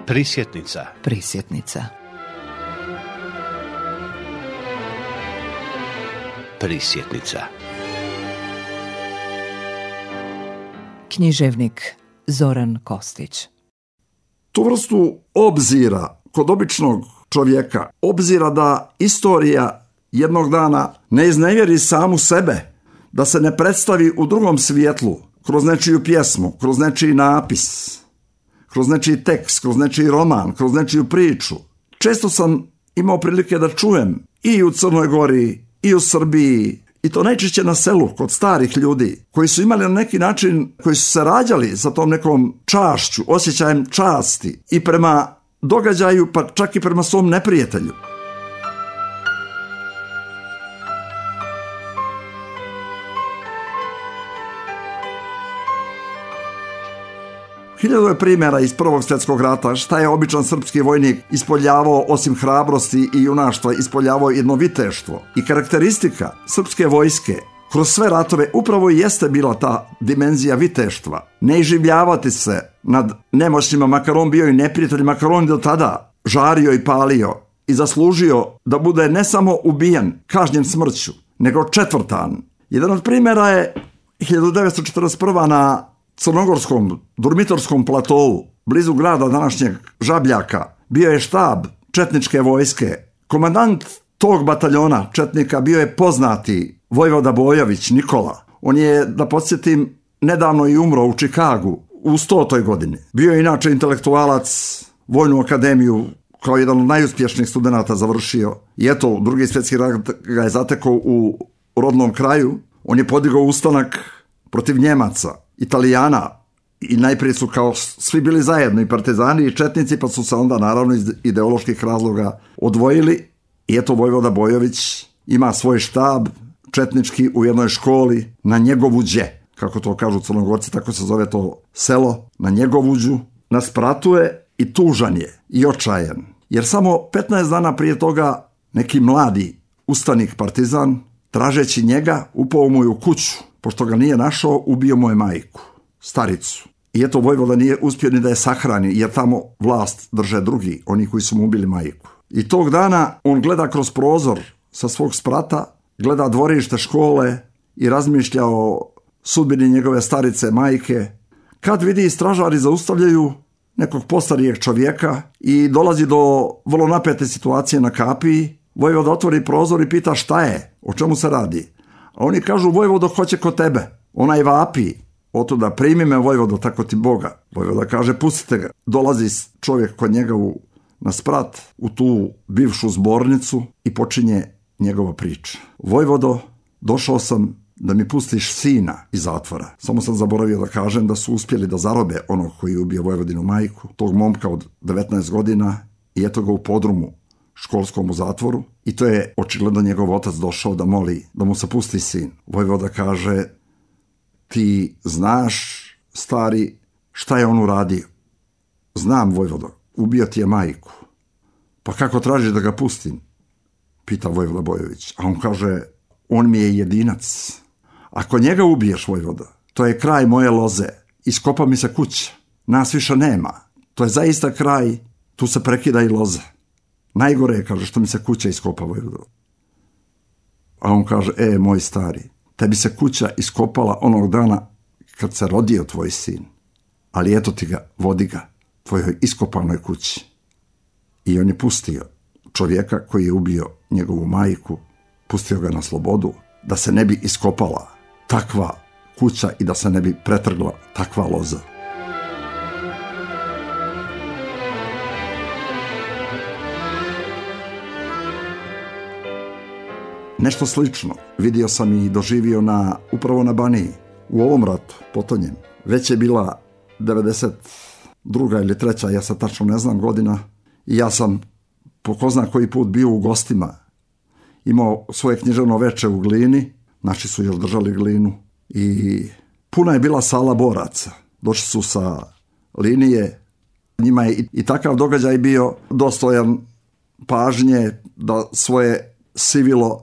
Prisjetnica. Prisjetnica. Prisjetnica. Književnik Zoran Kostić. Tu vrstu obzira kod običnog čovjeka, obzira da istorija jednog dana ne iznevjeri samu sebe, da se ne predstavi u drugom svjetlu, kroz nečiju pjesmu, kroz nečiji napis, kroz nečiji tekst, kroz nečiji roman, kroz nečiju priču. Često sam imao prilike da čujem i u Crnoj Gori, i u Srbiji, i to najčešće na selu, kod starih ljudi, koji su imali na neki način, koji su se rađali sa tom nekom čašću, osjećajem časti i prema događaju, pa čak i prema svom neprijatelju. Hiljadu je primjera iz Prvog svjetskog rata šta je običan srpski vojnik ispoljavao osim hrabrosti i junaštva, ispoljavao jedno viteštvo. I karakteristika srpske vojske kroz sve ratove upravo i jeste bila ta dimenzija viteštva. Ne iživljavati se nad nemoćnima, makar on bio i neprijatelj, makar on do tada žario i palio i zaslužio da bude ne samo ubijen, kažnjen smrću, nego četvrtan. Jedan od primjera je 1941. na crnogorskom Durmitorskom platovu, blizu grada današnjeg Žabljaka, bio je štab četničke vojske. Komandant tog bataljona četnika bio je poznati vojvoda Bojović Nikola. On je, da podsjetim, nedavno i umro u Čikagu u 100. godini. Bio je inače intelektualac, vojnu akademiju kao jedan od najuspješnijih studenata završio. I eto, Drugi svjetski rat ga je zatekao u rodnom kraju. On je podigao ustanak protiv Njemaca, Italijana, i najprije su kao svi bili zajedno, i partizani i četnici, pa su se onda naravno iz ideoloških razloga odvojili. I eto, vojvoda Bojović ima svoj štab četnički u jednoj školi na Njegovuđe, kako to kažu Crnogorci, tako se zove to selo, na Njegovuđu. Na spratu je i tužan je i očajan, jer samo 15 dana prije toga neki mladi ustanik partizan, tražeći njega, upao mu je u kuću. Pošto ga nije našao, ubio mu je majku, staricu. I eto, vojvoda nije uspio ni da je sahrani, jer tamo vlast drže drugi, oni koji su mu ubili majku. I tog dana on gleda kroz prozor sa svog sprata, gleda dvorište škole i razmišlja o sudbini njegove starice majke, kad vidi stražari zaustavljaju nekog postarijeg čovjeka i dolazi do vrlo napete situacije na kapiji. Vojvoda otvori prozor i pita šta je, o čemu se radi. A oni kažu, vojvodo, hoće kod tebe. Onaj vapi, otuda, primi me, vojvodo, tako ti Boga. Vojvoda kaže, pustite ga. Dolazi čovjek kod njega na sprat, u tu bivšu zbornicu, i počinje njegova priča. Vojvodo, došao sam da mi pustiš sina iz zatvora. Samo sam zaboravio da kažem da su uspjeli da zarobe onog koji je ubio vojvodinu majku, tog momka od 19 godina, i eto ga u podrumu školskom u zatvoru, i to je očigledno njegov otac došao da moli da mu se pusti sin. Vojvoda kaže, ti znaš, stari, šta je on uradio? Znam, vojvodo, ubio ti je majku. Pa kako tražiš da ga pustim? Pita vojvoda Bojović. A on kaže, on mi je jedinac. Ako njega ubiješ, vojvoda, to je kraj moje loze. Iskopa mi se kuća. Nas više nema. To je zaista kraj, tu se prekida i loza. Najgore je, kaže, što mi se kuća iskopa, vojvodo. A on kaže, moj stari, tebi se kuća iskopala onog dana kad se rodio tvoj sin. Ali eto ti ga, vodi ga, tvojoj iskopanoj kući. I on je pustio čovjeka koji je ubio njegovu majku, pustio ga na slobodu, da se ne bi iskopala takva kuća i da se ne bi pretrgla takva loza. Nešto slično vidio sam i doživio upravo na Baniji, u ovom ratu, potonjem. Već je bila 92. ili 3. ja sad tačno ne znam godina, i ja sam po ko zna koji put bio u gostima. Imao svoje književno veče u Glini, naši su još držali Glinu, i puna je bila sala boraca. Došli su sa linije, njima je i takav događaj bio dostojan pažnje da svoje sivilo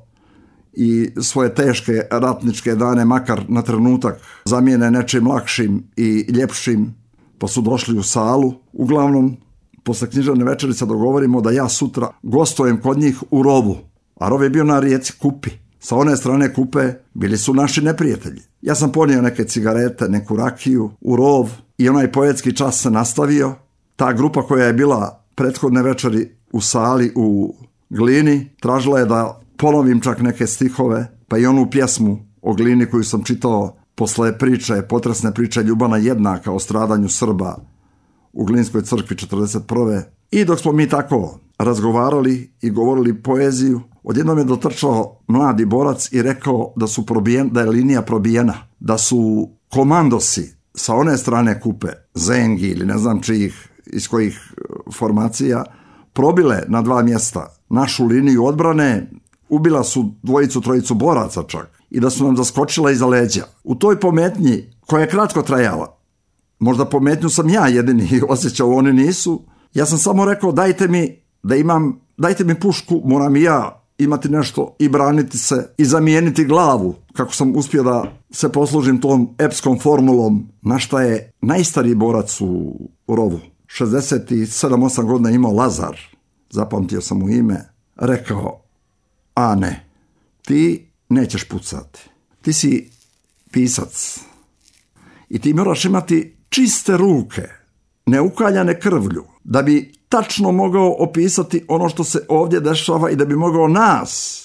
i svoje teške ratničke dane makar na trenutak zamijene nečim lakšim i ljepšim, pa su došli u salu. Uglavnom posle književne večerice dogovorimo da ja sutra gostujem kod njih u rovu. A rov je bio na rijeci Kupi. Sa one strane Kupe bili su naši neprijatelji. Ja sam ponio neke cigarete, neku rakiju u rov i onaj poetski čas se nastavio. Ta grupa koja je bila prethodne večeri u sali u Glini tražila je da ponovim čak neke stihove, pa i onu pjesmu o Glini koju sam čitao posle priče, potresne priče Ljubana Jednaka o stradanju Srba u Glinskoj crkvi 1941. I dok smo mi tako razgovarali i govorili poeziju, odjednom je dotrčao mladi borac i rekao da je linija probijena, da su komandosi sa one strane Kupe, Zengi ili ne znam čijih, iz kojih formacija, probile na 2 mjesta našu liniju odbrane, ubila su 2-3 boraca čak i da su nam zaskočila iza leđa. U toj pometnji, koja je kratko trajala, možda pometnju sam ja jedini osjećao, oni nisu, ja sam samo rekao dajte mi pušku, moram i ja imati nešto i braniti se i zamijeniti glavu, kako sam uspio da se poslužim tom epskom formulom, na šta je najstariji borac u rovu, 67-8 godina imao Lazar, zapamtio sam mu ime, rekao: a ne, ti nećeš pucati, ti si pisac i ti moraš imati čiste ruke, neukaljane krvlju, da bi tačno mogao opisati ono što se ovdje dešava i da bi mogao nas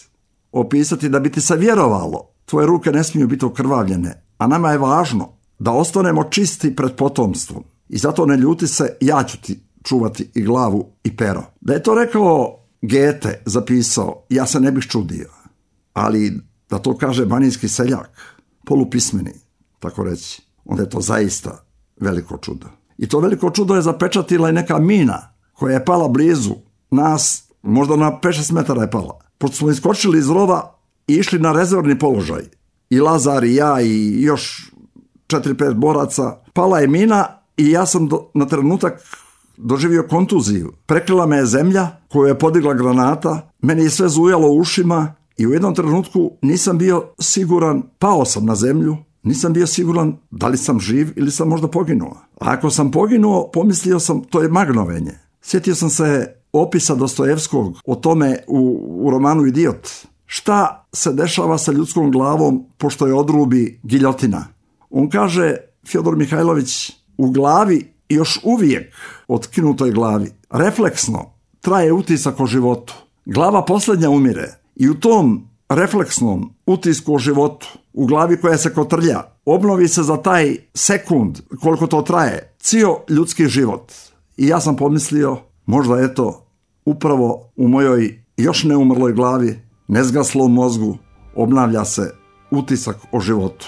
opisati, da bi ti se vjerovalo. Tvoje ruke ne smiju biti okrvavljene, a nama je važno da ostanemo čisti pred potomstvom. I zato ne ljuti se, ja ću ti čuvati i glavu i pero. Da je to rekao Goethe, zapisao, ja se ne bih čudio. Ali da to kaže banijski seljak, polupismeni, tako reći, onda je to zaista veliko čudo. I to veliko čudo je zapečatila i neka mina koja je pala blizu nas, možda na 5-6 metara je pala. Pošto smo iskočili iz rova i išli na rezervni položaj, i Lazar i ja i još 4-5 boraca, pala je mina i ja sam na trenutak doživio kontuziju. Prekrila me je zemlja koju je podigla granata, meni je sve zujalo u ušima i u jednom trenutku nisam bio siguran, pao sam na zemlju, nisam bio siguran da li sam živ ili sam možda poginuo. A ako sam poginuo, pomislio sam, to je magnovenje. Sjetio sam se opisa Dostojevskog o tome u romanu Idiot. Šta se dešava sa ljudskom glavom pošto je odrubi giljotina? On kaže, Fjodor Mihajlović, u glavi još uvijek otkinutoj glavi refleksno traje utisak o životu. Glava posljednja umire i u tom refleksnom utisku o životu, u glavi koja se kotrlja, obnovi se za taj sekund koliko to traje cijel ljudski život. I ja sam pomislio, možda eto, upravo u mojoj još neumrloj glavi, nezgaslom mozgu, obnavlja se utisak o životu.